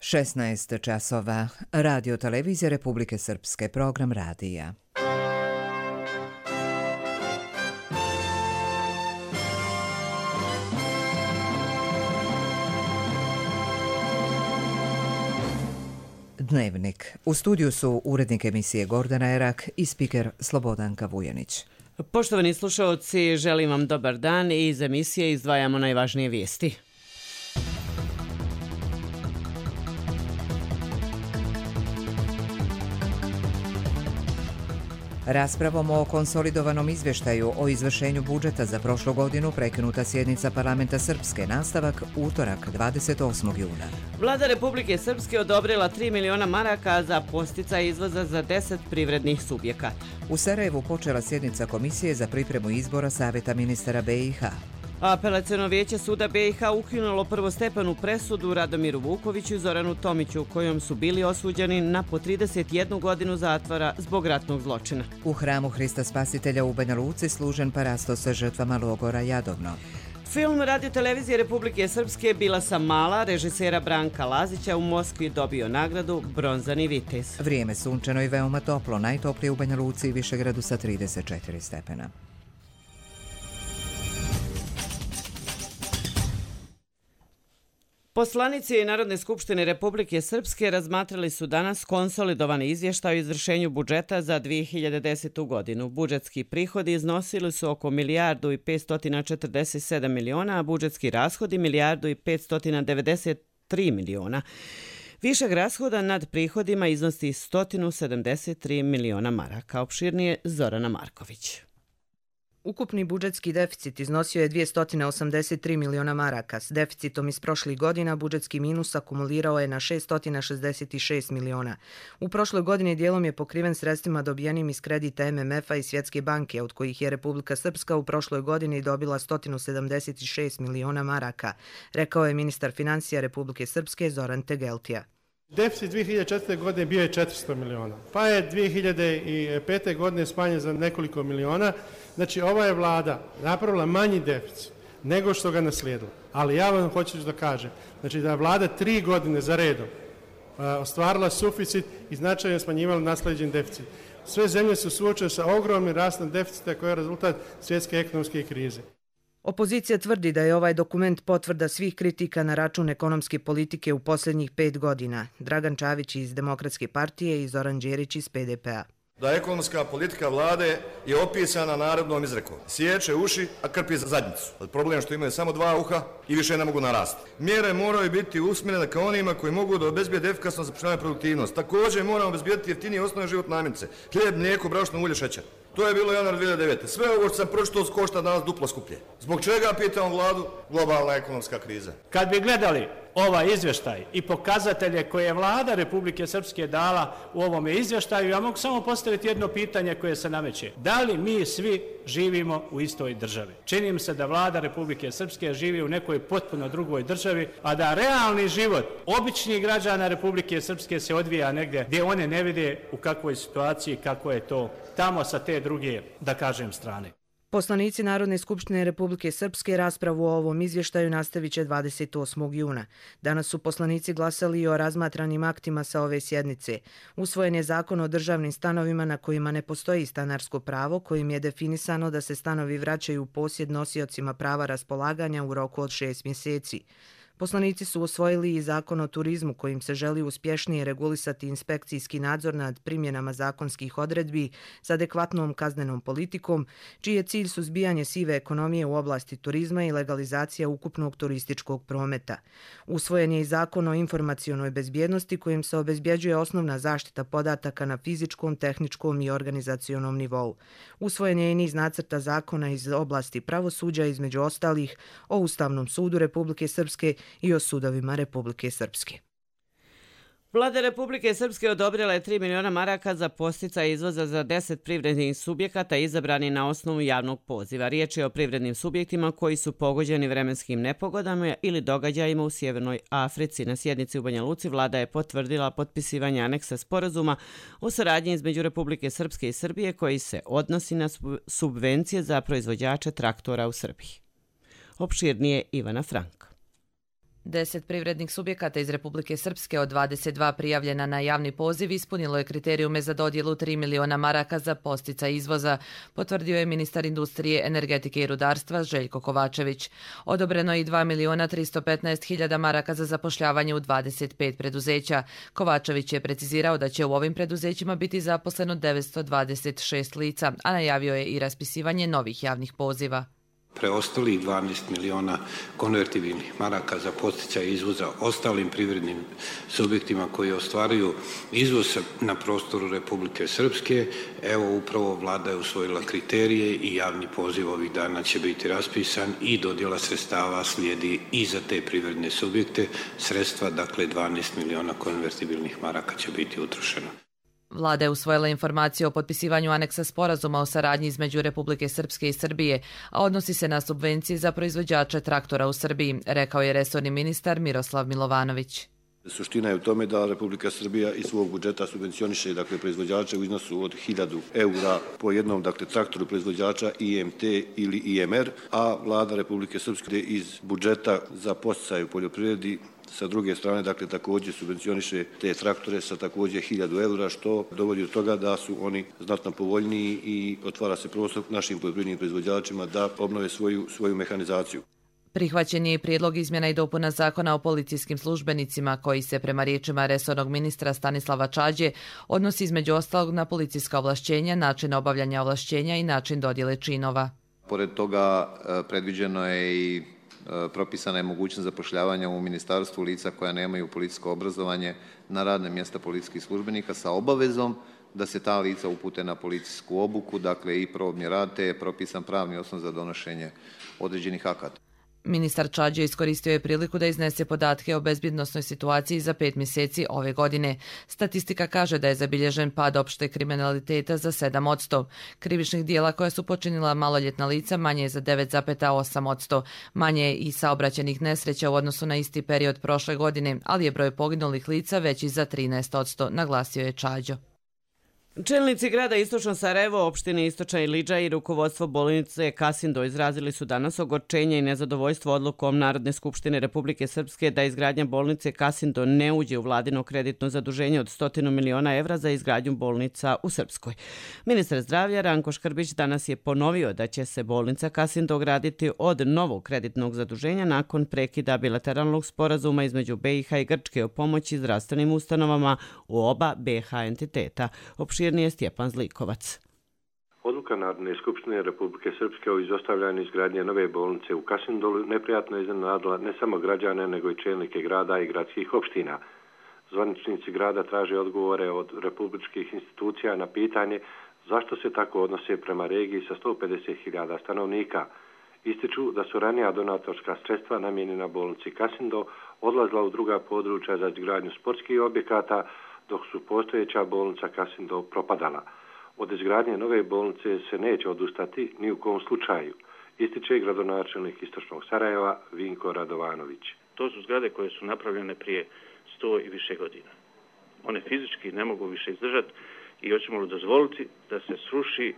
16 časova. Radio televizija Republike Srpske, program radija. Dnevnik. U studiju su urednik emisije Gordana Erak i spiker Slobodanka Vujanić. Poštovani slušalci, želim vam dobar dan i iz emisije izdvajamo najvažnije vijesti. Raspravom o konsolidovanom izvještaju o izvršenju budžeta za prošlu godinu prekinuta sjednica parlamenta Srpske, nastavak utorak 28. juna. Vlada Republike Srpske odobrila 3 miliona maraka za podsticaj izvoza za 10 privrednih subjekata. U Sarajevu počela sjednica komisije za pripremu izbora Savjeta ministara BiH. Apelaciono vijeće suda BiH ukinulo prvostepenu presudu Radomiru Vukoviću i Zoranu Tomiću, kojom su bili osuđeni na po 31 godinu zatvora zbog ratnog zločina. U hramu Hrista Spasitelja u Banja Luci služen parasto sa žrtvama logora Jadovno. Film Radio televizije Republike Srpske Bila sam mala, režisera Branka Lazića, u Moskvi dobio nagradu Bronzani vitez. Vrijeme sunčano i veoma toplo, najtoplije u Banja Luci i Višegradu sa 34 stepena. Poslanici Narodne skupštine Republike Srpske razmatrali su danas konsolidovani izvještaj o izvršenju budžeta za 2010. godinu. Budžetski prihodi iznosili su oko 1.547 miliona, a budžetski rashodi 1.593 miliona. Višak rashoda nad prihodima iznosi 173 miliona maraka. Opširnije Zorana Marković. Ukupni budžetski deficit iznosio je 283 miliona maraka. S deficitom iz prošlih godina budžetski minus akumulirao je na 666 miliona. U prošloj godini dijelom je pokriven sredstvima dobijenim iz kredita MMF-a i Svjetske banke, od kojih je Republika Srpska u prošloj godini dobila 176 miliona maraka, rekao je ministar financija Republike Srpske Zoran Tegeltija. Deficit 2004. godine bio je 400 miliona, pa je 2005. godine smanjen za nekoliko miliona. Znači, ova je vlada napravila manji deficit nego što ga naslijedila. Ali ja vam hoću da kažem, znači da je vlada 3 godine za redom ostvarila suficit i značajno smanjivala naslijeđen deficit. Sve zemlje su suočene sa ogromnim rastom deficita koji je rezultat svjetske ekonomske krize. Opozicija tvrdi da je ovaj dokument potvrda svih kritika na račun ekonomske politike u posljednjih 5 godina. Dragan Čavić iz Demokratske partije i Zoran Đerić iz PDP-a. Da ekonomska politika vlade je opisana narodnom izrekom. Sječe uši, a krpi zadnjicu. Problem je što imaju samo 2 uha i više ne mogu narasti. Mjere moraju biti usmjerene ka onima koji mogu da obezbijede efikasno zapošljavanje produktivnost. Također moramo obezbijeti jeftinije osnovne životne namirnice. Hljeb, mlijeko, brašno, ulje, šećer. To je bilo januar 2009. Sve ovo što sam pročitao košta danas duplo skuplje. Zbog čega, pitam vladu, globalna ekonomska kriza? Kad bi gledali ovaj izvještaj i pokazatelje koje je vlada Republike Srpske dala u ovome izvještaju, ja mogu samo postaviti jedno pitanje koje se nameće. Da li mi svi živimo u istoj državi? Čini mi se da vlada Republike Srpske živi u nekoj potpuno drugoj državi, a da realni život običnih građana Republike Srpske se odvija negdje gdje one ne vide u kakvoj situaciji, kako je to tamo sa te druge, da kažem, strane. Poslanici Narodne skupštine Republike Srpske raspravu o ovom izvještaju nastavit će 28. juna. Danas su poslanici glasali i o razmatranim aktima sa ove sjednice. Usvojen je zakon o državnim stanovima na kojima ne postoji stanarsko pravo, kojim je definisano da se stanovi vraćaju u posjed nosiocima prava raspolaganja u roku od 6 mjeseci. Poslanici su usvojili i zakon o turizmu kojim se želi uspješnije regulisati inspekcijski nadzor nad primjenama zakonskih odredbi s adekvatnom kaznenom politikom, čiji je cilj suzbijanje sive ekonomije u oblasti turizma i legalizacija ukupnog turističkog prometa. Usvojen je i zakon o informacionoj bezbjednosti kojim se obezbjeđuje osnovna zaštita podataka na fizičkom, tehničkom i organizacionom nivou. Usvojen je i niz nacrta zakona iz oblasti pravosuđa, između ostalih o Ustavnom sudu Republike Srpske i o sudovima Republike Srpske. Vlada Republike Srpske odobrila je 3 miliona maraka za podsticaj izvoza za 10 privrednih subjekata izabrani na osnovu javnog poziva. Riječ je o privrednim subjektima koji su pogođeni vremenskim nepogodama ili događajima u Sjevernoj Africi. Na sjednici u Banja Luci vlada je potvrdila potpisivanje aneksa sporazuma o saradnji između Republike Srpske i Srbije koji se odnosi na subvencije za proizvođače traktora u Srbiji. Opširnije Ivana Franka. 10 privrednih subjekata iz Republike Srpske od 22 prijavljena na javni poziv ispunilo je kriterijume za dodjelu 3 miliona maraka za podsticaj izvoza, potvrdio je ministar industrije, energetike i rudarstva Željko Kovačević. Odobreno je i 2 miliona 315 hiljada maraka za zapošljavanje u 25 preduzeća. Kovačević je precizirao da će u ovim preduzećima biti zaposleno 926 lica, a najavio je i raspisivanje novih javnih poziva. Preostalih 12 miliona konvertibilnih maraka za podsticaj izvoza ostalim privrednim subjektima koji ostvaruju izvoz na prostoru Republike Srpske. Evo upravo vlada je usvojila kriterije i javni poziv ovih dana će biti raspisan i dodjela sredstava slijedi i za te privredne subjekte. Sredstva, dakle 12 miliona konvertibilnih maraka će biti utrošena. Vlada je usvojila informaciju o potpisivanju aneksa sporazuma o saradnji između Republike Srpske i Srbije, a odnosi se na subvencije za proizvođače traktora u Srbiji, rekao je resorni ministar Miroslav Milovanović. Suština je u tome da Republika Srbija iz svog budžeta subvencioniše proizvođače u iznosu od 1000 eura po jednom traktoru proizvođača IMT ili IMR, a vlada Republike Srpske iz budžeta za podsticaj u poljoprivredi sa druge strane, također subvencioniše te traktore sa također 1000 eura, što dovodi do toga da su oni znatno povoljniji i otvara se prostor našim poljoprivrednim proizvođačima da obnove svoju mehanizaciju. Prihvaćen je i prijedlog izmjena i dopuna zakona o policijskim službenicima koji se, prema riječima resornog ministra Stanislava Čađe, odnosi između ostalog na policijska ovlašćenja, način obavljanja ovlašćenja i način dodjele činova. Pored toga predviđeno je i propisana je mogućnost zapošljavanja u ministarstvu lica koja nemaju policijsko obrazovanje na radne mjesta policijskih službenika sa obavezom da se ta lica upute na policijsku obuku, dakle i probni rad, te je propisan pravni osnov za donošenje određenih akata. Ministar Čađe iskoristio je priliku da iznese podatke o bezbjednosnoj situaciji za 5 mjeseci ove godine. Statistika kaže da je zabilježen pad opšte kriminaliteta za 7%. Krivičnih dijela koja su počinila maloljetna lica manje je za 9,8%. Manje je i saobraćajnih nesreća u odnosu na isti period prošle godine, ali je broj poginulih lica veći za 13%, naglasio je Čađo. Čelnici grada Istočno Sarajevo, opštine Istočna Ilidža i rukovodstvo bolnice Kasindo izrazili su danas ogorčenje i nezadovoljstvo odlukom Narodne skupštine Republike Srpske da izgradnja bolnice Kasindo ne uđe u vladino kreditno zaduženje od 100 miliona evra za izgradnju bolnica u Srpskoj. Ministar zdravlja Ranko Škrbić danas je ponovio da će se bolnica Kasindo graditi od novog kreditnog zaduženja nakon prekida bilateralnog sporazuma između BiH i Grčke o pomoći zdravstvenim ustanovama u oba BiH entiteta. Opširnije Stjepan Zlikovac. Odluka Narodne skupštine Republike Srpske o izostavljanju izgradnje nove bolnice u Kasindolu neprijatno je iznenadila ne samo građane, nego i čelnike grada i gradskih opština. Zvaničnici grada traže odgovore od republičkih institucija na pitanje zašto se tako odnose prema regiji sa 150.000 stanovnika. Ističu da su ranija donatorska sredstva namijenjena bolnici Kasindo odlazila u druga područja za izgradnju sportskih objekata, dok su postojeća bolnica Kasindo propadala. Od izgradnje nove bolnice se neće odustati ni u kom slučaju, ističe gradonačelnik Istočnog Sarajeva Vinko Radovanović. To su zgrade koje su napravljene prije 100 i više godina. One fizički ne mogu više izdržati i hoćemo li dozvoliti da se sruši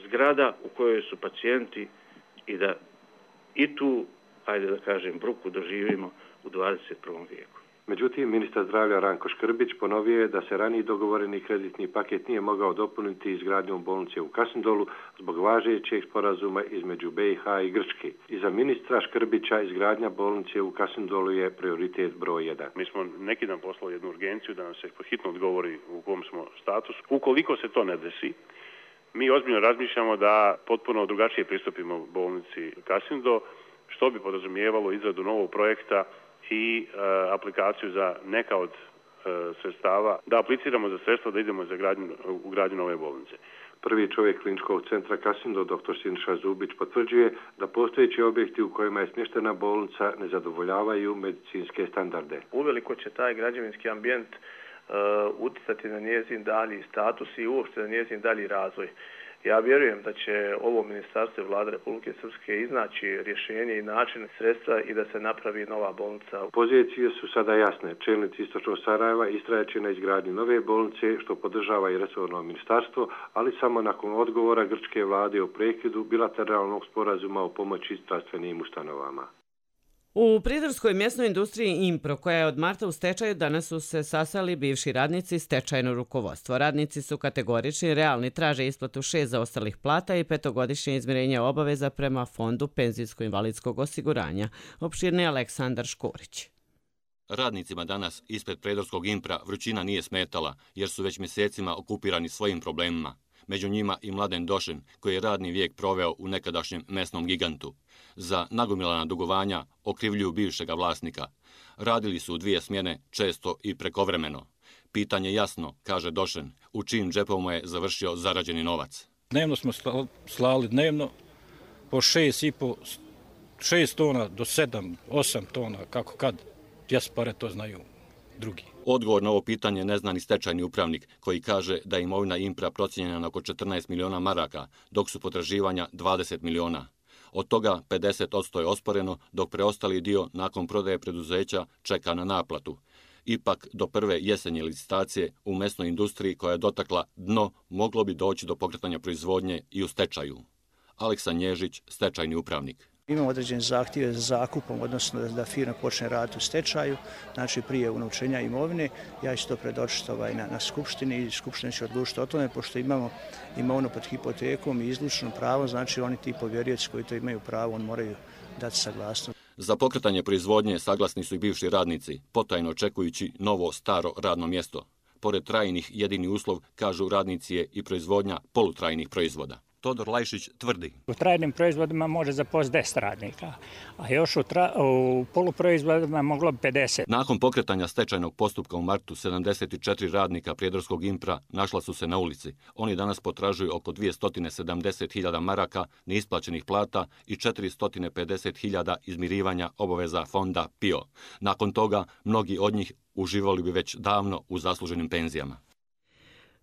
zgrada u kojoj su pacijenti i da i tu, ajde da kažem, bruku doživimo u 21. vijeku. Međutim, ministar zdravlja Ranko Škrbić ponovio je da se raniji dogovoreni kreditni paket nije mogao dopuniti izgradnjom bolnice u Kasindolu zbog važećeg sporazuma između BiH i Grčke. I za ministra Škrbića izgradnja bolnice u Kasindolu je prioritet broj 1. Mi smo neki dan poslali jednu urgenciju da nam se hitno odgovori u kom smo statusu. Ukoliko se to ne desi, mi ozbiljno razmišljamo da potpuno drugačije pristupimo bolnici Kasindo, što bi podrazumijevalo izradu novog projekta i aplikaciju za neka od sredstava, da apliciramo za sredstva da idemo u gradnju nove bolnice. Prvi čovjek kliničkog centra Kasindo, dr. Sinša Zubić, potvrđuje da postojeći objekti u kojima je smještena bolnica ne zadovoljavaju medicinske standarde. Uveliko će taj građevinski ambijent utjecati na njezin dalji status i uopšte na njezin dalji razvoj. Ja vjerujem da će ovo ministarstvo i vlada Republike Srpske iznaći rješenje i način sredstva i da se napravi nova bolnica. Pozicije su sada jasne. Čelnici Istočnog Sarajeva istrajaće na izgradnji nove bolnice, što podržava i resorno ministarstvo, ali samo nakon odgovora grčke vlade o prekidu bilateralnog sporazuma o pomoći zdravstvenim ustanovama. U Prijedorskoj mjesnoj industriji Impro, koja je od marta u stečaju, danas su se sastali bivši radnici i stečajno rukovodstvo. Radnici su kategorični, realni, traže isplatu 6 zaostalih plata i 5-godišnje izmirenje obaveza prema Fondu penzijsko-invalidskog osiguranja. Opširni Aleksandar Škorić. Radnicima danas ispred Prijedorskog Impra vrućina nije smetala jer su već mjesecima okupirani svojim problemima. Među njima i Mladen Došen, koji je radni vijek proveo u nekadašnjem mesnom gigantu. Za nagomilana dugovanja okrivljuju bivšega vlasnika. Radili su u 2 smjene, često i prekovremeno. Pitanje jasno, kaže Došen, u čijim džepovima je završio zarađeni novac. Dnevno smo slali po 6 tona do 7, 8 tona, kako kad. Pare to znaju drugi. Odgovor na ovo pitanje ne zna ni stečajni upravnik, koji kaže da je imovina Impra procijenjena na oko 14 miliona maraka, dok su potraživanja 20 miliona. Od toga 50% je osporeno, dok preostali dio nakon prodaje preduzeća čeka na naplatu. Ipak, do prve jesenje licitacije u mesnoj industriji koja je dotakla dno, moglo bi doći do pokretanja proizvodnje i u stečaju. Aleksa Nježić, stečajni upravnik. Imamo određene zahtjeve za zakupom, odnosno da firma počne raditi u stečaju, znači prije unovčenja imovine. Ja ću to predočiti na skupštini i skupština će odlučiti o tome, pošto imamo imovinu pod hipotekom i izlučno pravo, znači oni ti povjerioci koji to imaju pravo, oni moraju dati saglasnost. Za pokretanje proizvodnje saglasni su i bivši radnici, potajno očekujući novo staro radno mjesto. Pored trajnih, jedini uslov, kažu radnici, je i proizvodnja polutrajnih proizvoda. Todor Lajšić tvrdi. U trajnim proizvodima može zaposliti 10 radnika, a još u poluproizvodima moglo bi 50. Nakon pokretanja stečajnog postupka u martu, 74 radnika Prijedorskog Impra našla su se na ulici. Oni danas potražuju oko 270.000 maraka neisplaćenih plata i 450.000 izmirivanja obaveza fonda PIO. Nakon toga, mnogi od njih uživali bi već davno u zasluženim penzijama.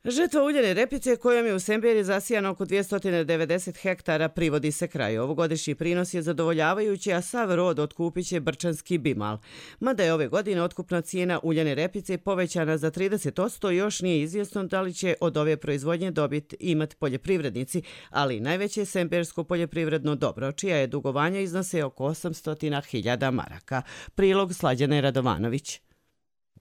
Žetva uljane repice kojom je u Semberiji zasijano oko 290 hektara privodi se kraju. Ovogodišnji prinos je zadovoljavajući, a sav rod otkupit će brčanski bimal. Mada je ove godine otkupna cijena uljane repice povećana za 30%, još nije izvjesno da li će od ove proizvodnje dobit imati poljoprivrednici, ali najveće sembersko poljoprivredno dobro, čija je dugovanja iznose oko 800.000 maraka. Prilog Slađane Radovanović.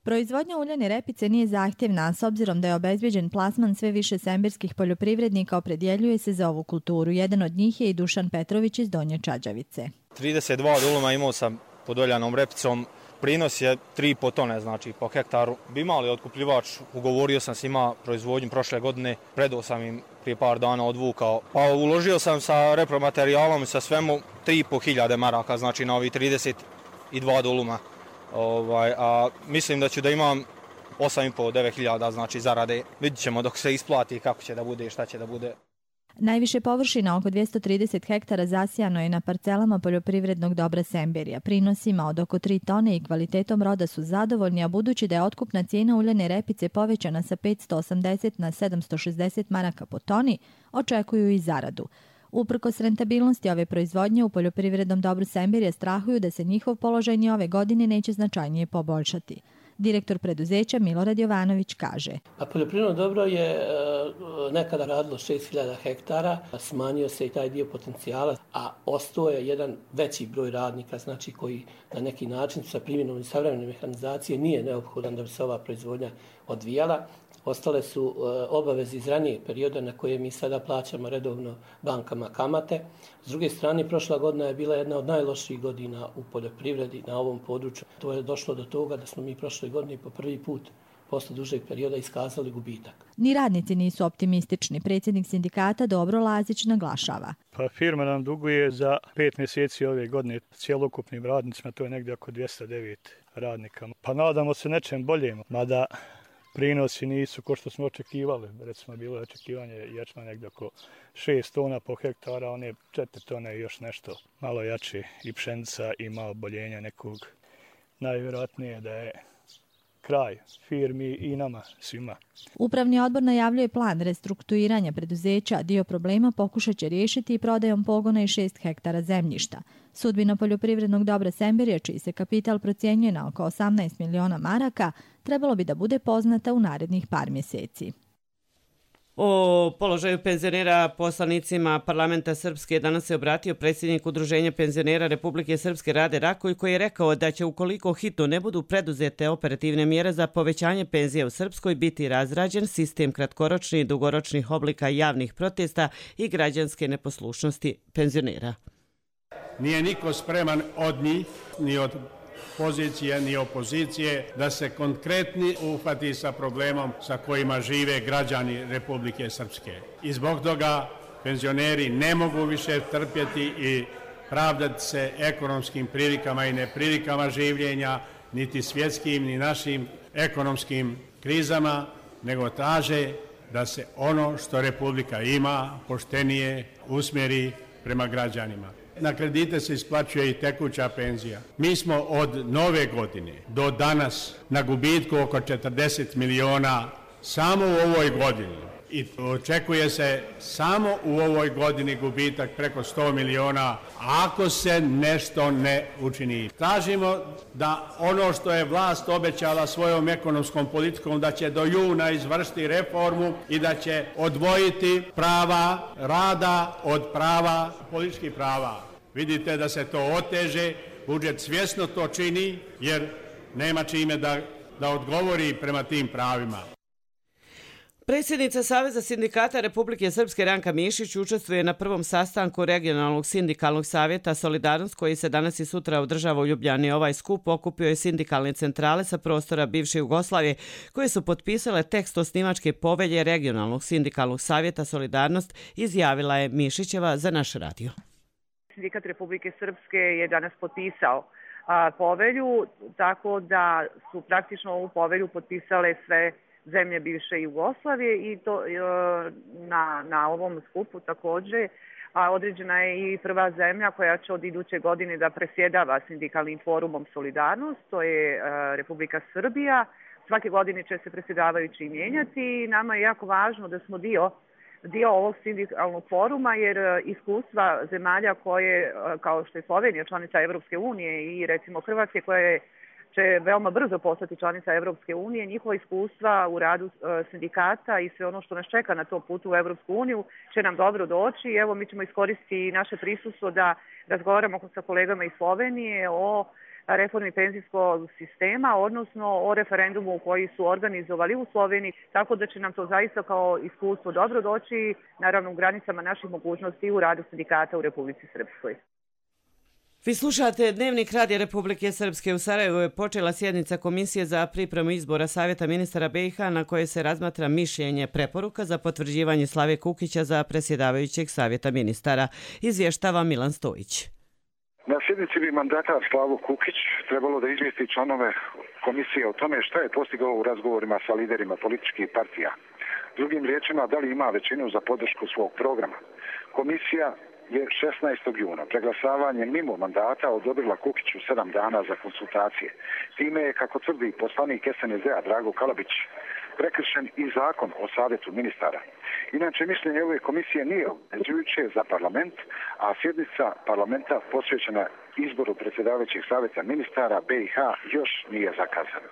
Proizvodnja uljane repice nije zahtjevna, s obzirom da je obezbjeđen plasman sve više semberskih poljoprivrednika opredjeljuje se za ovu kulturu. Jedan od njih je i Dušan Petrović iz Donje Čađavice. 32 duluma imao sam pod uljanom repicom. Prinos je 3,5 tone, znači po hektaru. Bi mali otkupljivač, ugovorio sam s njima proizvodnju prošle godine, predao sam im prije par dana odvukao. Pa uložio sam sa repromaterijalom i sa svemu 3.500 maraka, znači na ovi 32 duluma. A mislim da ću da imam 8.500-9.000 znači zarade. Vidjet ćemo dok se isplati kako će da bude i šta će da bude. Najviše površina, oko 230 hektara, zasijano je na parcelama poljoprivrednog dobra Semberija. Prinosima od oko 3 tone i kvalitetom roda su zadovoljni, a budući da je otkupna cijena uljane repice povećana sa 580 na 760 maraka po toni, očekuju i zaradu. Uprkos rentabilnosti ove proizvodnje u poljoprivrednom dobru Semberija strahuju da se njihov položaj ni ove godine neće značajnije poboljšati. Direktor preduzeća Milorad Jovanović kaže. Poljoprivredno dobro je nekada radilo 6.000 hektara, smanjio se i taj dio potencijala, a ostao je jedan veći broj radnika, znači koji na neki način sa primjenom savremene mehanizacije nije neophodan da bi se ova proizvodnja odvijala. Ostale su obaveze iz ranijeg perioda na koje mi sada plaćamo redovno bankama kamate. S druge strane, prošla godina je bila jedna od najlošijih godina u poljoprivredi na ovom području. To je došlo do toga da smo mi prošle godine po prvi put posle dužeg perioda iskazali gubitak. Ni radnici nisu optimistični. Predsjednik sindikata Dobro Lazić naglašava. Firma nam duguje za 5 mjeseci ove godine cjelokupnim radnicima, to je negdje oko 209 radnika. Pa nadamo se nečem boljem, mada prinosi nisu ko što smo očekivali. Recimo, bilo je očekivanje ječma negdje oko 6 tona po hektara, one 4 tone i još nešto malo jače i pšenica i malo boljenja nekog. Najvjerojatnije da je kraj firmi i nama svima. Upravni odbor najavljuje plan restrukturiranja preduzeća. Dio problema pokušat će riješiti i prodajom pogona i 6 hektara zemljišta. Sudbina poljoprivrednog dobra Semberija, čiji se kapital procjenjuje na oko 18 miliona maraka, trebalo bi da bude poznata u narednih par mjeseci. O položaju penzionera poslanicima parlamenta Srpske danas se obratio predsjednik Udruženja penzionera Republike Srpske Rade Raković, koji je rekao da će ukoliko hitno ne budu preduzete operativne mjere za povećanje penzije u Srpskoj biti razrađen sistem kratkoročnih i dugoročnih oblika javnih protesta i građanske neposlušnosti penzionera. Nije niko spreman od njih, ni od pozicije ni opozicije, da se konkretni uhvati sa problemom sa kojima žive građani Republike Srpske. I zbog toga penzioneri ne mogu više trpjeti i pravdati se ekonomskim prilikama i neprilikama življenja, niti svjetskim, ni našim ekonomskim krizama, nego traže da se ono što Republika ima poštenije usmjeri prema građanima. Na kredite se isplaćuje i tekuća penzija. Mi smo od nove godine do danas na gubitku oko 40 miliona samo u ovoj godini. I očekuje se samo u ovoj godini gubitak preko 100 miliona ako se nešto ne učini. Tražimo da ono što je vlast obećala svojom ekonomskom politikom, da će do juna izvršiti reformu i da će odvojiti prava rada od prava političkih prava. Vidite da se to oteže, budžet svjesno to čini jer nema čime da odgovori prema tim pravima. Predsjednica Saveza sindikata Republike Srpske Ranka Mišić učestvuje na prvom sastanku regionalnog sindikalnog savjeta Solidarnost, koji se danas i sutra održava u Ljubljani. Ovaj skup okupio je sindikalne centrale sa prostora bivše Jugoslavije, koje su potpisale tekst osnivačke povelje regionalnog sindikalnog savjeta Solidarnost, izjavila je Mišićeva za naš radio. Sindikat Republike Srpske je danas potpisao povelju, tako da su praktično ovu povelju potpisale sve zemlje bivše Jugoslavije i to na ovom skupu također određena je i prva zemlja koja će od iduće godine da presjedava sindikalnim forumom Solidarnost, to je Republika Srbija. Svake godine će se presjedavajući mijenjati i nama je jako važno da smo dio ovog sindikalnog foruma, jer iskustva zemalja koje, kao što je Slovenija, članica Evropske unije, i recimo Hrvatske, koja će veoma brzo postati članica Evropske unije, njihova iskustva u radu sindikata i sve ono što nas čeka na tom putu u Evropsku uniju će nam dobro doći. Evo, mi ćemo iskoristiti naše prisustvo da razgovaramo sa kolegama iz Slovenije o reformi penzijskog sistema, odnosno o referendumu koji su organizovali u Sloveniji, tako da će nam to zaista kao iskustvo dobro doći, naravno u granicama naših mogućnosti u radu sindikata u Republici Srpskoj. Vi slušate Dnevnik Radija Republike Srpske. U Sarajevu je počela sjednica Komisije za pripremu izbora Savjeta ministara BiH, na kojoj se razmatra mišljenje preporuka za potvrđivanje Slave Kukića za predsjedavajućeg Savjeta ministara. Izvještava Milan Stojić. Na sjednici bi mandatar Slavo Kukić trebalo da izvijesti članove komisije o tome šta je postigao u razgovorima sa liderima političkih partija. Drugim riječima, da li ima većinu za podršku svog programa. Komisija je 16. juna preglasavanje mimo mandata odobrila Kukiću 7 dana za konsultacije. Time je, kako tvrdi poslanik SNSD-a Drago Kalabić, prekršen i zakon o savjetu ministara. Inače, mišljenje ove komisije nije obvezujuće za parlament, a sjednica parlamenta posvećena izboru predsjedavajućeg savjeta ministara BiH još nije zakazana.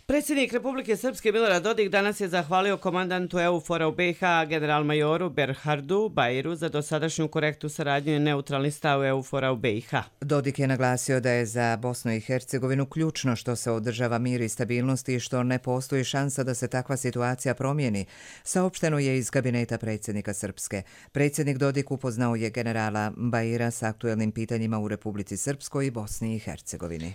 Predsjednik Republike Srpske Milorad Dodik danas je zahvalio komandantu EUFOR-a u BiH, generalmajoru Berhardu Bajiru, za dosadašnju korektnu saradnju i neutralni stav EUFOR-a u BiH. Dodik je naglasio da je za Bosnu i Hercegovinu ključno što se održava mir i stabilnost i što ne postoji šansa da se takva situacija promijeni, saopšteno je iz kabineta predsjednika Srpske. Predsjednik Dodik upoznao je generala Bajira s aktuelnim pitanjima u Republici Srpskoj i Bosni i Hercegovini.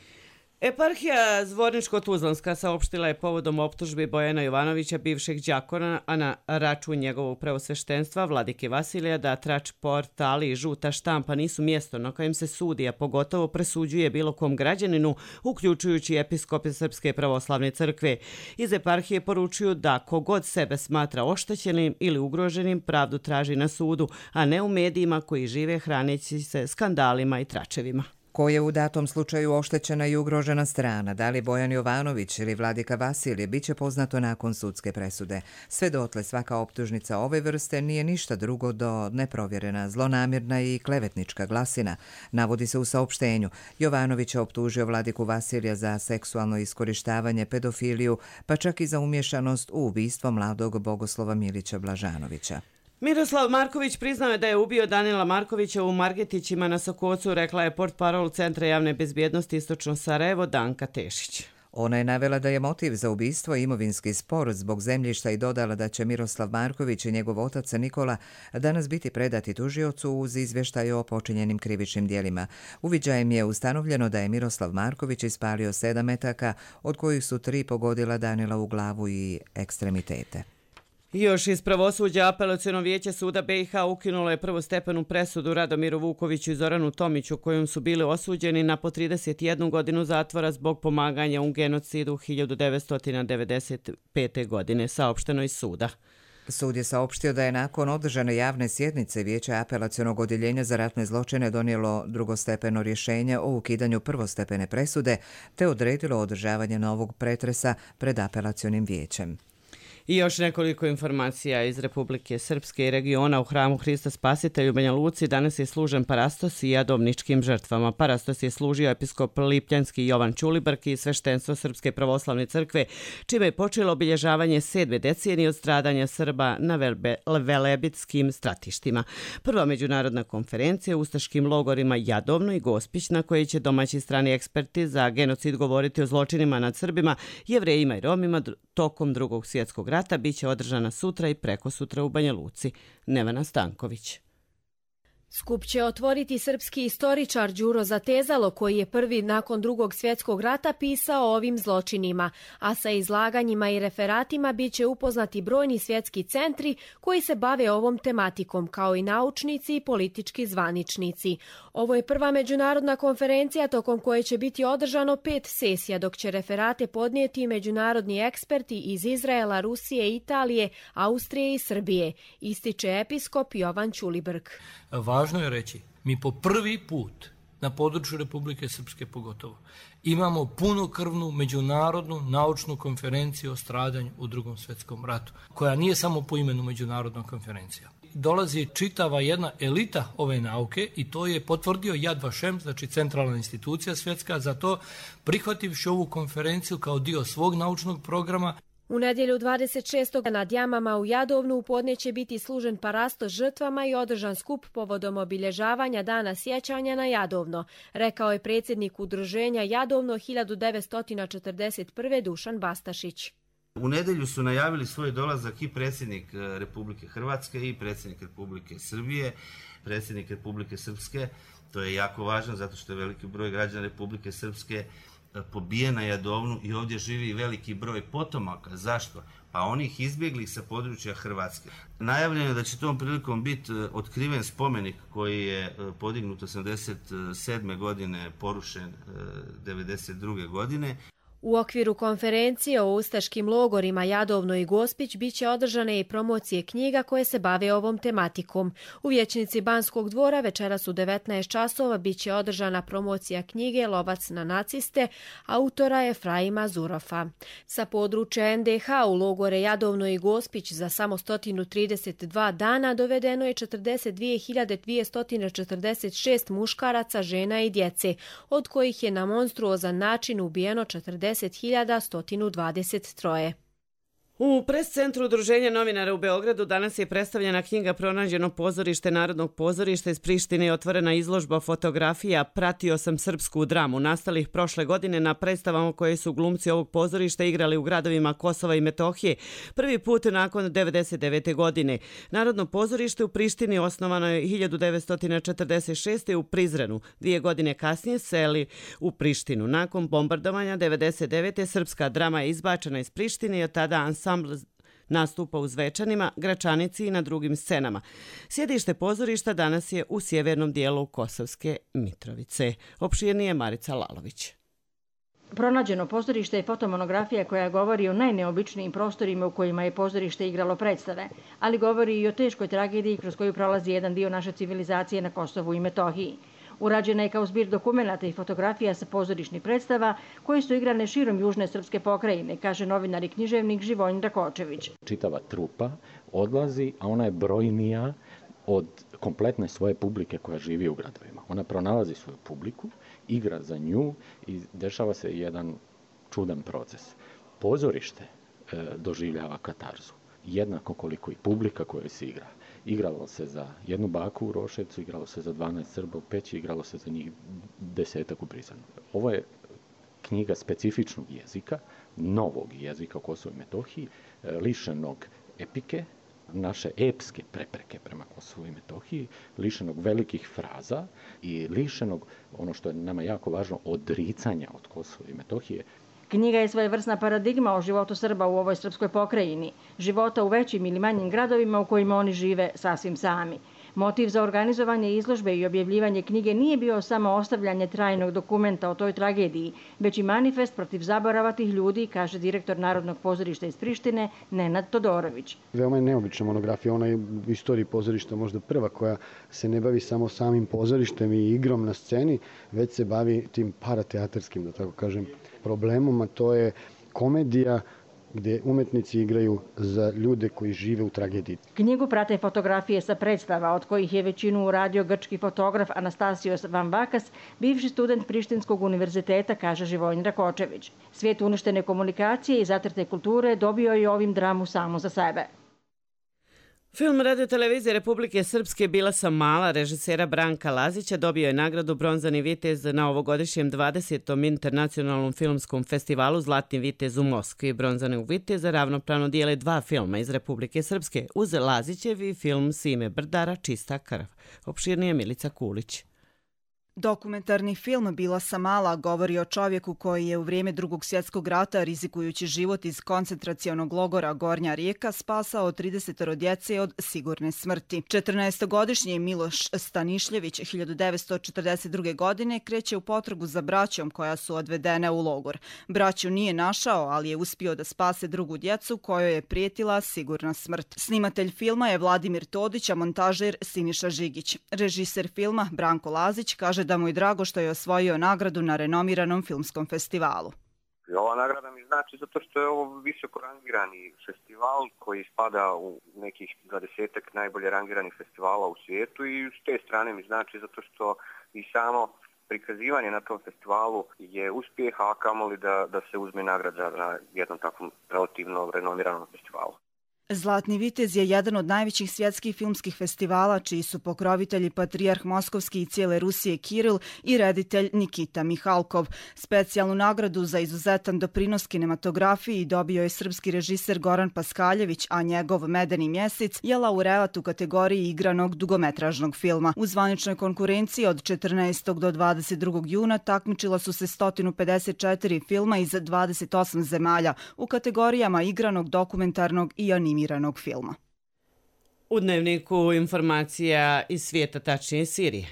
Eparhija Zvorničko-Tuzlanska saopštila je povodom optužbi Bojana Jovanovića, bivšeg đakona, a na račun njegovog preosveštenstva Vladike Vasilija, da trač portali i žuta štampa nisu mjesto na kojem se sudi, a pogotovo presuđuje bilo kom građaninu, uključujući episkope Srpske pravoslavne crkve. Iz eparhije poručuju da kogod sebe smatra oštećenim ili ugroženim, pravdu traži na sudu, a ne u medijima koji žive hraneći se skandalima i tračevima. Ko je u datom slučaju oštećena i ugrožena strana, da li Bojan Jovanović ili Vladika Vasilije, bit će poznato nakon sudske presude. Sve dotle svaka optužnica ove vrste nije ništa drugo do neprovjerena, zlonamjerna i klevetnička glasina. Navodi se u saopštenju. Jovanović je optužio Vladiku Vasilija za seksualno iskorištavanje, pedofiliju, pa čak i za umješanost u ubistvo mladog Bogoslova Milića Blažanovića. Miroslav Marković priznao je da je ubio Danila Markovića u Margetićima na Sokocu, rekla je portparol Centra javne bezbjednosti Istočno Sarajevo Danka Tešić. Ona je navela da je motiv za ubistvo imovinski spor zbog zemljišta i dodala da će Miroslav Marković i njegov otac Nikola danas biti predati tužiocu uz izvještaj o počinjenim krivičnim djelima. Uviđajem je ustanovljeno da je Miroslav Marković ispalio 7 metaka, od kojih su 3 pogodila Danila u glavu i ekstremitete. Još iz pravosuđa Apelaciono vijeće suda BiH ukinulo je prvostepenu presudu Radomiru Vukoviću i Zoranu Tomiću, kojom su bili osuđeni na po 31 godinu zatvora zbog pomaganja u genocidu 1995. godine, saopšteno iz suda. Sud je saopštio da je nakon održane javne sjednice Vijeće Apelacionog odjeljenja za ratne zločine donijelo drugostepeno rješenje o ukidanju prvostepene presude te odredilo održavanje novog pretresa pred Apelacionim vijećem. I još nekoliko informacija iz Republike Srpske i regiona. U hramu Hrista Spasitelja u Banja Luci danas je služen parastos i jadovničkim žrtvama. Parastos je služio episkop Lipljanski Jovan Ćulibrk i sveštenstvo Srpske pravoslavne crkve, čime je počelo obilježavanje 7. decenije od stradanja Srba na velebitskim stratištima. Prva međunarodna konferencija u ustaškim logorima Jadovno i Gospić, na kojoj će domaći strani eksperti za genocid govoriti o zločinima nad Srbima, Jevrejima i Romima tokom Drugog svjetskog rata, bit će održana sutra i prekosutra u Banja Luci. Nevena Stanković. Skup će otvoriti srpski istoričar Đuro Zatezalo, koji je prvi nakon Drugog svjetskog rata pisao o ovim zločinima, a sa izlaganjima i referatima bit će upoznati brojni svjetski centri koji se bave ovom tematikom, kao i naučnici i politički zvaničnici. Ovo je prva međunarodna konferencija tokom koje će biti održano 5 sesija, dok će referate podnijeti međunarodni eksperti iz Izraela, Rusije, Italije, Austrije i Srbije, ističe episkop Jovan Ćulibrk. Važno je reći, mi po prvi put na području Republike Srpske pogotovo imamo punokrvnu međunarodnu naučnu konferenciju o stradanju u Drugom svjetskom ratu, koja nije samo po imenu međunarodna konferencija. Dolazi čitava jedna elita ove nauke i to je potvrdio Yad Vashem, znači centralna institucija svjetska, za to prihvativši ovu konferenciju kao dio svog naučnog programa. U nedjelju 26. nad jamama u Jadovnu u podne će biti služen parastos žrtvama i održan skup povodom obilježavanja Dana sjećanja na Jadovno, rekao je predsjednik udruženja Jadovno 1941. Dušan Bastašić. U nedjelju su najavili svoj dolazak i predsjednik Republike Hrvatske i predsjednik Republike Srbije, predsjednik Republike Srpske. To je jako važno zato što je veliki broj građana Republike Srpske pobije na Jadovnu i ovdje živi veliki broj potomaka. Zašto? Pa onih izbjeglih sa područja Hrvatske. Najavljeno je da će tom prilikom biti otkriven spomenik koji je podignut 87. godine, porušen 92. godine. U okviru konferencije o ustaškim logorima Jadovno i Gospić bit će održane i promocije knjiga koje se bave ovom tematikom. U vijećnici Banskog dvora večeras u 19 časova bit će održana promocija knjige Lovac na naciste, autora Efraima Zurofa. Sa područja NDH u logore Jadovno i Gospić za samo 132 dana dovedeno je 42.246 muškaraca, žena i djece, od kojih je na monstruozan način ubijeno 40.123. U pres-centru Udruženja novinara u Beogradu danas je predstavljena knjiga Pronađeno pozorište Narodnog pozorišta iz Prištine i otvorena izložba fotografija Pratio sam srpsku dramu, nastalih prošle godine na predstavama koje su glumci ovog pozorišta igrali u gradovima Kosova i Metohije, prvi put nakon 1999. godine. Narodno pozorište u Prištini osnovano je 1946. u Prizrenu. 2 godine kasnije seli u Prištinu. Nakon bombardovanja 1999. srpska drama je izbačena iz Prištine i od tada ansambl nastupa u Zvečanima, Gračanici i na drugim scenama. Sjedište pozorišta danas je u sjevernom dijelu Kosovske Mitrovice. Opširnije Marica Lalović. Pronađeno pozorište je fotomonografija koja govori o najneobičnijim prostorima u kojima je pozorište igralo predstave, ali govori i o teškoj tragediji kroz koju prolazi jedan dio naše civilizacije na Kosovu i Metohiji. Urađena je kao zbir dokumenata i fotografija sa pozorišnih predstava koje su igrane širom južne srpske pokrajine, kaže novinar i književnik Živojin Rakočević. Čitava trupa odlazi, a ona je brojnija od kompletne svoje publike koja živi u gradovima. Ona pronalazi svoju publiku, igra za nju i dešava se jedan čudan proces. Pozorište doživljava katarzu, jednako koliko i publika koja se igra. Igralo se za jednu baku u Roševcu, igralo se za 12 Srba u Peći, igralo se za njih 10 u Prizrenu. Ovo je knjiga specifičnog jezika, novog jezika o Kosovu i Metohiji, lišenog epike, naše epske prepreke prema Kosovu i Metohiji, lišenog velikih fraza i lišenog, ono što je nama jako važno, odricanja od Kosova i Metohije. Knjiga je svojevrsna paradigma o životu Srba u ovoj srpskoj pokrajini, života u većim ili manjim gradovima u kojima oni žive sasvim sami. Motiv za organizovanje izložbe i objavljivanje knjige nije bio samo ostavljanje trajnog dokumenta o toj tragediji, već i manifest protiv zaborava tih ljudi, kaže direktor Narodnog pozorišta iz Prištine, Nenad Todorović. Veoma je neobična monografija, ona je u istoriji pozorišta možda prva koja se ne bavi samo samim pozorištem i igrom na sceni, već se bavi tim parateatarskim, da tako kažem, problemom, a to je komedija gdje umetnici igraju za ljude koji žive u tragediji. Knjigu prate fotografije sa predstava, od kojih je većinu uradio grčki fotograf Anastasios Vamvakas, bivši student Prištinskog univerziteta, kaže Živojin Rakočević. Svijet uništene komunikacije i zatrte kulture dobio je ovim dramu samo za sebe. Film Radio-televizije Republike Srpske Bila sam mala režisera Branka Lazića dobio je nagradu Bronzani vitez na ovogodišnjem 20. internacionalnom filmskom festivalu Zlatni vitez u Moskvi. Bronzani viteza ravnopravno dijele dva filma iz Republike Srpske uz Lazićevi film Sime Brdara Čista krv. Opširnije Milica Kulić. Dokumentarni film Bila sam mala govori o čovjeku koji je u vrijeme Drugog svjetskog rata, rizikujući život iz koncentracionog logora Gornja Rijeka, spasao 30 djece od sigurne smrti. 14-godišnji Miloš Stanišljević 1942. godine kreće u potragu za braćom koja su odvedene u logor. Braću nije našao, ali je uspio da spase drugu djecu kojoj je prijetila sigurna smrt. Snimatelj filma je Vladimir Todić, a montažer Siniša Žigić. Režiser filma Branko Lazić kaže da mu je drago što je osvojio nagradu na renomiranom filmskom festivalu. Ova nagrada mi znači zato što je ovo visoko rangirani festival koji spada u nekih 20-ak najbolje rangiranih festivala u svijetu i s te strane mi znači zato što i samo prikazivanje na tom festivalu je uspjeh, a kamoli da se uzme nagrada na jednom takvom relativno renomiranom festivalu. Zlatni vitez je jedan od najvećih svjetskih filmskih festivala čiji su pokrovitelji patrijarh Moskovski i cijele Rusije Kiril i reditelj Nikita Mihalkov. Specijalnu nagradu za izuzetan doprinos kinematografiji dobio je srpski režiser Goran Paskaljević, a njegov Medeni mjesec je laureat u kategoriji igranog dugometražnog filma. U zvaničnoj konkurenciji od 14. do 22. juna takmičila su se 154 filma iz 28 zemalja u kategorijama igranog, dokumentarnog i animiranog filma. U Dnevniku informacija iz svijeta, tačnije Sirije.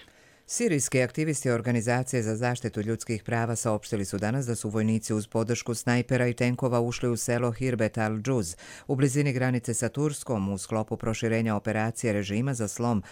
Sirijski aktivisti Organizacije za zaštitu ljudskih prava saopštili su danas da su vojnici uz podršku snajpera i tenkova ušli u selo Hirbet al-Džuz u blizini granice sa Turskom u sklopu proširenja operacije režima za slom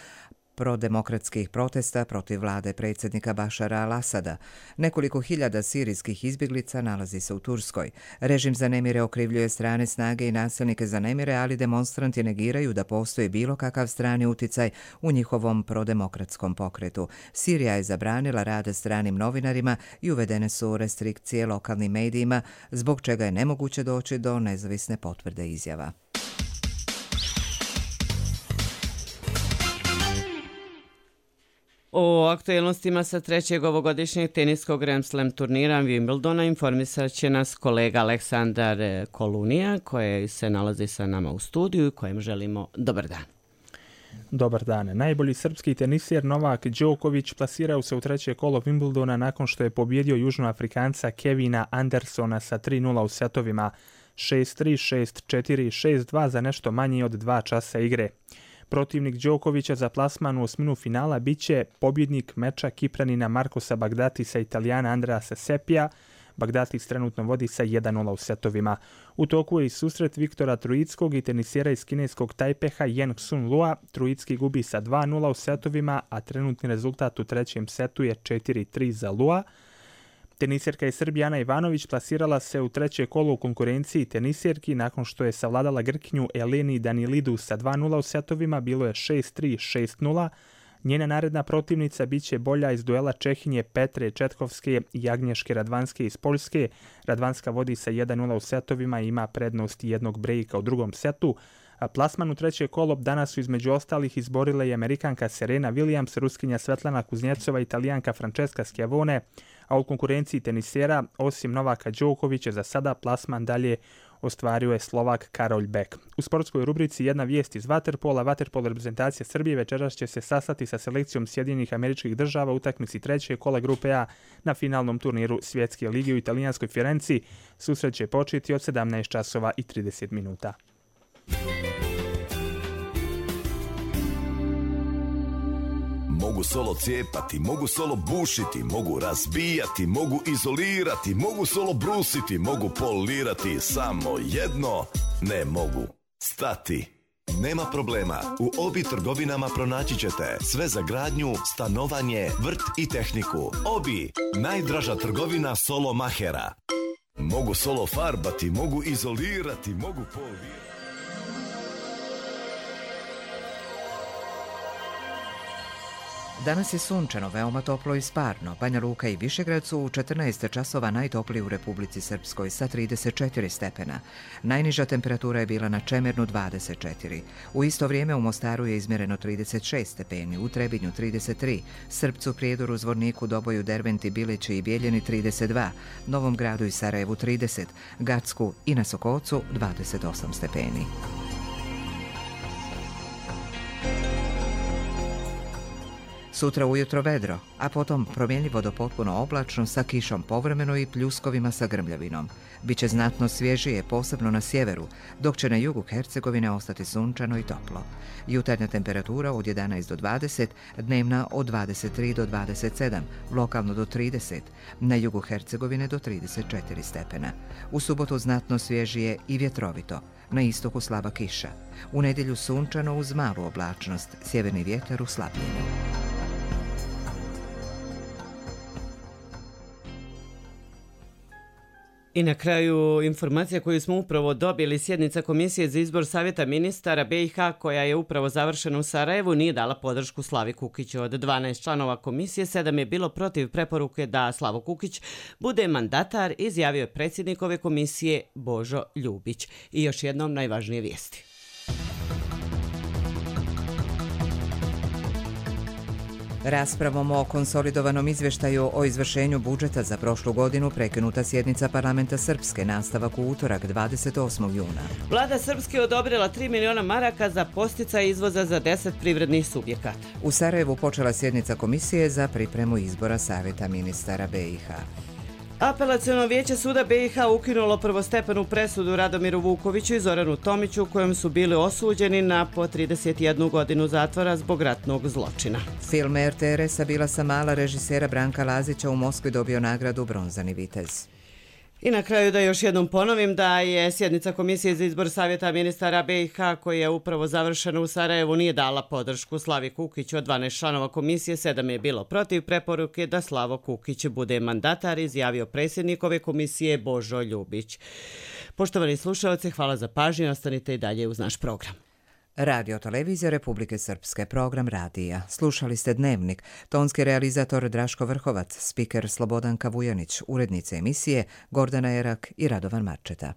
prodemokratskih protesta protiv vlade predsjednika Bašara al-Asada. Nekoliko hiljada sirijskih izbjeglica nalazi se u Turskoj. Režim za nemire okrivljuje strane snage i nasilnike za nemire, ali demonstranti negiraju da postoji bilo kakav strani uticaj u njihovom prodemokratskom pokretu. Sirija je zabranila rad stranim novinarima i uvedene su restrikcije lokalnim medijima, zbog čega je nemoguće doći do nezavisne potvrde izjava. O aktualnostima sa trećeg ovogodišnjeg teniskog Grand Slam turnira Wimbledona informisat će nas kolega Aleksandar Kolunija, koji se nalazi sa nama u studiju i kojem želimo dobar dan. Dobar dan. Najbolji srpski tenisir Novak Đoković plasirao se u treće kolo Wimbledona nakon što je pobjedio Južnoafrikanca Kevina Andersona sa 3-0 u setovima 6-3, 6-4, 6-2 za nešto manje od 2 časa igre. Protivnik Đokovića za plasman u osminu finala biće pobjednik meča Kipranina Markosa Bagdatisa i Italijana Andreasa Sepija. Bagdatis trenutno vodi sa 1-0 u setovima. U toku je i susret Viktora Trojickog i tenisera iz kineskog Tajpeha Yen Sun Lua. Trojicki gubi sa 2-0 u setovima, a trenutni rezultat u trećem setu je 4-3 za Lua. Teniserka iz Srbije Ana Ivanović plasirala se u treće kolo u konkurenciji teniserki nakon što je savladala Grkinju Eleni Danilidu sa 2-0 u setovima, bilo je 6-3, 6-0. Njena naredna protivnica biće bolja iz duela Čehinje Petre Četkovske i Agnješke Radvanske iz Poljske. Radvanska vodi sa 1-0 u setovima i ima prednost jednog brejka u drugom setu. A plasman u treće kolo danas su između ostalih izborile i Amerikanka Serena Williams, Ruskinja Svetlana Kuznjecova, Italijanka Francesca Schiavone, a u konkurenciji tenisera, osim Novaka Đokovića, za sada plasman dalje ostvario je Slovak Karol Beck. U sportskoj rubrici jedna vijest iz vaterpola. Vaterpol reprezentacija Srbije večeras će se sastati sa selekcijom Sjedinjenih Američkih Država u utakmici treće kola grupe A na finalnom turniru Svjetske lige u italijanskoj Firenci. Susret će početi od 17 časova i 30 minuta. Mogu solo cijepati, mogu solo bušiti, mogu razbijati, mogu izolirati, mogu solo brusiti, mogu polirati, samo jedno ne mogu. Stati. Nema problema, u Obi trgovinama pronaći ćete sve za gradnju, stanovanje, vrt i tehniku. Obi, najdraža trgovina solo mahera. Mogu solo farbati, mogu izolirati, mogu polirati. Danas je sunčano, veoma toplo i sparno. Banja Luka i Višegrad su u 14 časova najtopliji u Republici Srpskoj sa 34 stepena. Najniža temperatura je bila na Čemernu 24. U isto vrijeme u Mostaru je izmjereno 36 stepeni, u Trebinju 33, Srpcu, Prijedoru, Zvorniku, Doboju, Derventi, Bilići i Bijeljini 32, Novom Gradu i Sarajevu 30, Gacku i na Sokocu 28 stepeni. Sutra ujutro vedro, a potom promjenljivo do potpuno oblačno sa kišom povremeno i pljuskovima sa grmljavinom. Biće znatno svježije, posebno na sjeveru, dok će na jugu Hercegovine ostati sunčano i toplo. Jutarnja temperatura od 11 do 20, dnevna od 23 do 27, lokalno do 30, na jugu Hercegovine do 34 stepena. U subotu znatno svježije i vjetrovito, na istoku slaba kiša. U nedjelju sunčano uz malu oblačnost, sjeverni vjetar u slabljenju. I na kraju informacija koju smo upravo dobili, sjednica Komisije za izbor Savjeta ministara BiH koja je upravo završena u Sarajevu nije dala podršku Slavi Kukiću. Od 12 članova komisije 7 je bilo protiv preporuke da Slavo Kukić bude mandatar, izjavio je predsjednik ove komisije Božo Ljubić. I još jednom najvažnije vijesti. Raspravom o konsolidovanom izvještaju o izvršenju budžeta za prošlu godinu prekinuta sjednica parlamenta Srpske, nastavak u utorak 28. juna. Vlada Srpske odobrila 3 miliona maraka za podsticaj izvoza za 10 privrednih subjekata. U Sarajevu počela sjednica komisije za pripremu izbora Savjeta ministara BiH. Apelaciono vijeće suda BiH ukinulo prvostepenu presudu Radomiru Vukoviću i Zoranu Tomiću kojom su bili osuđeni na po 31 godinu zatvora zbog ratnog zločina. Film RTRS-a Bila sam mala režisera Branka Lazića u Moskvi dobio nagradu Bronzani vitez. I na kraju da još jednom ponovim da je sjednica Komisije za izbor Savjeta ministara BiH koja je upravo završena u Sarajevu nije dala podršku Slavi Kukiću. Od 12 članova komisije 7 je bilo protiv preporuke da Slavo Kukić bude mandatar, izjavio predsjednik ove komisije Božo Ljubić. Poštovani slušalci, hvala za pažnju, ostanite i dalje uz naš program. Radio Televizija Republike Srpske, program radija. Slušali ste Dnevnik, tonski realizator Draško Vrhovac, spiker Slobodanka Vujanić, urednice emisije Gordana Erak i Radovan Marčeta.